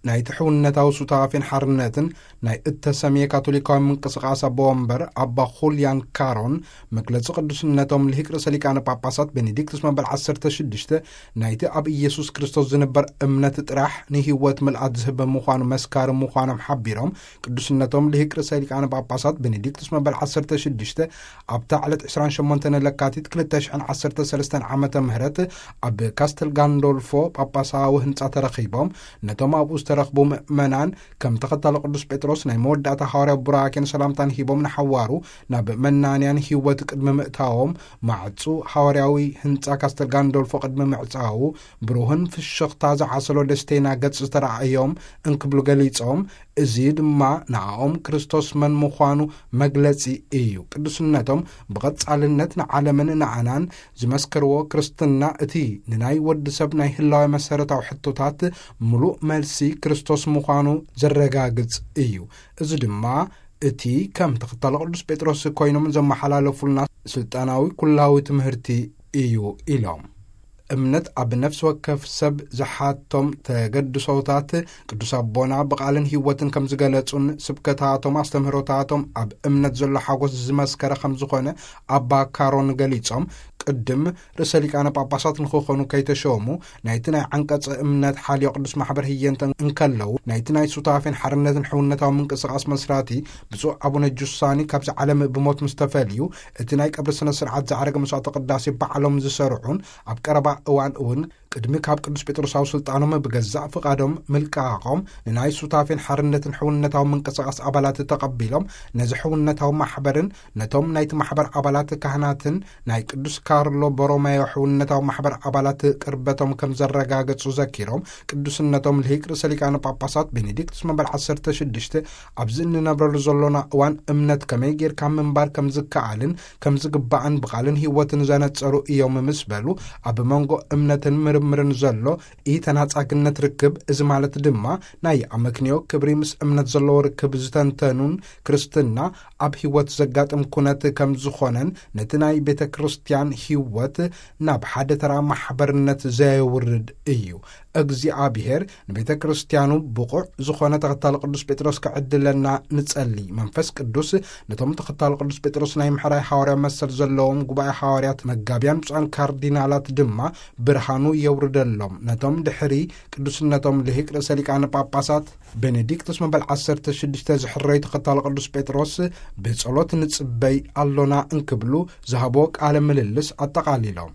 ናይቲ ሕውነታዊ ሱታፌን ሓርነትን ናይ እተሰምየ ካቶሊካዊ ምንቅስቃስ ኣቦ ወንበር ኣባ ኹልያን ካሮን፣ መግለጺ ቅዱስነቶም ልሂቅ ርእሰ ሊቃነ ጳጳሳት ቤኔዲክቱስ መበል ዓሰርተ ሽዱሽተ፣ ናይቲ ኣብ ኢየሱስ ክርስቶስ ዝንበር እምነት ጥራሕ ንህይወት ምልኣት ዝህብ ምዃኑ መስካሪ ምዃኖም ሓቢሮም፣ ቅዱስነቶም ልሂቅ ርእሰ ሊቃነ ጳጳሳት ቤኔዲክቱስ መበል ዓሰርተ ሽዱሽተ ኣብታ ዕለት ዕስራን ሸሞንተን ለካቲት ክልተ ሽሕን ዓሰርተ ሰለስተን ዓመተ ምህረት ኣብ ካስተል ጋንዶልፎ ጳጳሳዊ ህንጻ ተረኺቦም፣ ነቶም ኣብኡ ዝተረኽቡ ምእመናን ከም ተኸታሊ ቅዱስ ጴጥሮስ ናይ መወዳእታ ሃዋርያዊ ቡራኬን ሰላምታን ሂቦም ንሓዋሩ ናብ መናንያን ህይወት ቅድሚ ምእታዎም፣ ማዕጹ ሃዋርያዊ ህንጻ ካስተል ጋንዶልፎ ቅድሚ ምዕጻዉ፣ ብሩህን ፍሽኽታ ዝዓሰሎ ደስተና ገጽ ዝተረኣዮም እንክብሉ ገሊጾም፣ እዚ ድማ ንኣኦም ክርስቶስ መን ምዃኑ መግለጺ እዩ። ቅዱስነቶም ብቐጻልነት ንዓለምን ንኣናን ዝመስከርዎ ክርስትና፣ እቲ ንናይ ወዲ ሰብ ናይ ህላዌ መሰረታዊ ሕቶታት ምሉእ መልሲ ክርስቶስ ምዃኑ ዘረጋግጽ እዩ። እዚ ድማ እቲ ከም ተኸታሊ ቅዱስ ጴጥሮስ ኮይኖም ዘመሓላለፉልና ስልጣናዊ ኩላዊ ትምህርቲ እዩ ኢሎም። እምነት ኣብ ነፍሲ ወከፍ ሰብ ዝሓቶም ተገድሶታት ቅዱስ ኣቦና ብቓልን ህይወትን ከም ዝገለጹን፣ ስብከታቶም ኣስተምህሮታቶም ኣብ እምነት ዘሎ ሓጎስ ዝመስከረ ከም ዝኾነ ኣባ ካሮን ገሊጾም፣ ቅድም ርእሰ ሊቃነ ጳጳሳት ንክኾኑ ከይተሸሙ ናይቲ ናይ ዓንቀጸ እምነት ሓልዮ ቅዱስ ማሕበር ህየንተ እንከለዉ፣ ናይቲ ናይ ሱታፌን ሓርነትን ሕውነታዊ ምንቅስቃስ መስራቲ ብፁዕ ኣቡነ ጁሳኒ ካብዚ ዓለም ብሞት ምስ ተፈልዩ፣ እቲ ናይ ቀብሪ ስነ ስርዓት ዝዓረገ መስዋዕተ ቅዳሴ ባዕሎም ዝሰርዑን ኣብ ቀረባ እዋን እውን ቅድሚ ካብ ቅዱስ ጴጥሮሳዊ ስልጣኖም ብገዛእ ፍቓዶም ምልቃቖም ንናይ ሱታፌን ሓርነትን ሕውነታዊ ምንቅስቃስ ኣባላት ተቐቢሎም፣ ነዚ ሕውነታዊ ማሕበርን ነቶም ናይቲ ማሕበር ኣባላት ካህናትን ናይ ቅዱስ ካርሎ ቦሮማዮ ሕውነታዊ ማሕበር ኣባላት ቅርበቶም ከም ዘረጋገጹ ዘኪሮም፣ ቅዱስነቶም ልሂቅ ርእሰ ሊቃነ ጳጳሳት ቤኔዲክቱስ መበል ዓሰርተ ሽዱሽተ ኣብዚ እንነብረሉ ዘሎና እዋን እምነት ከመይ ጌርካ ምንባር ከም ዝከኣልን ከም ዝግባእን ብቓልን ህይወትን ዘነጸሩ እዮም ምስ በሉ፣ ኣብ መንጎ እምነትን ምርምርን ዘሎ ኢተናጻግነት ርክብ፣ እዚ ማለት ድማ ናይ ኣመክንዮ ክብሪ ምስ እምነት ዘለዎ ርክብ ዝተንተኑን ክርስትና ኣብ ህይወት ዘጋጥም ኩነት ከም ዝኾነን ነቲ ናይ ቤተ ክርስቲያን ህይወት ናብ ሓደ ተራ ማሕበርነት ዘየውርድ እዩ። እግዚኣብሔር ንቤተ ክርስቲያኑ ብቑዕ ዝኾነ ተኸታሊ ቅዱስ ጴጥሮስ ክዕድለና ንጸሊ። መንፈስ ቅዱስ ነቶም ተኸታሊ ቅዱስ ጴጥሮስ ናይ ምሕራይ ሃዋርያ መሰል ዘለዎም ጉባኤ ሃዋርያት መጋቢያን ብፁዓን ካርዲናላት ድማ ብርሃኑ የውርደሎም። ነቶም ድሕሪ ቅዱስነቶም ልሂቅ ርእሰ ሊቃነ ጳጳሳት ቤኔዲክቱስ መበል ዓሰርተ ሽዱሽተ ዝሕረዩ ተኸታሊ ቅዱስ ጴጥሮስ ብጸሎት ንጽበይ ኣሎና እንክብሉ ዝሃብዎ ቃለ ምልልስ ኣጠቓሊሎም።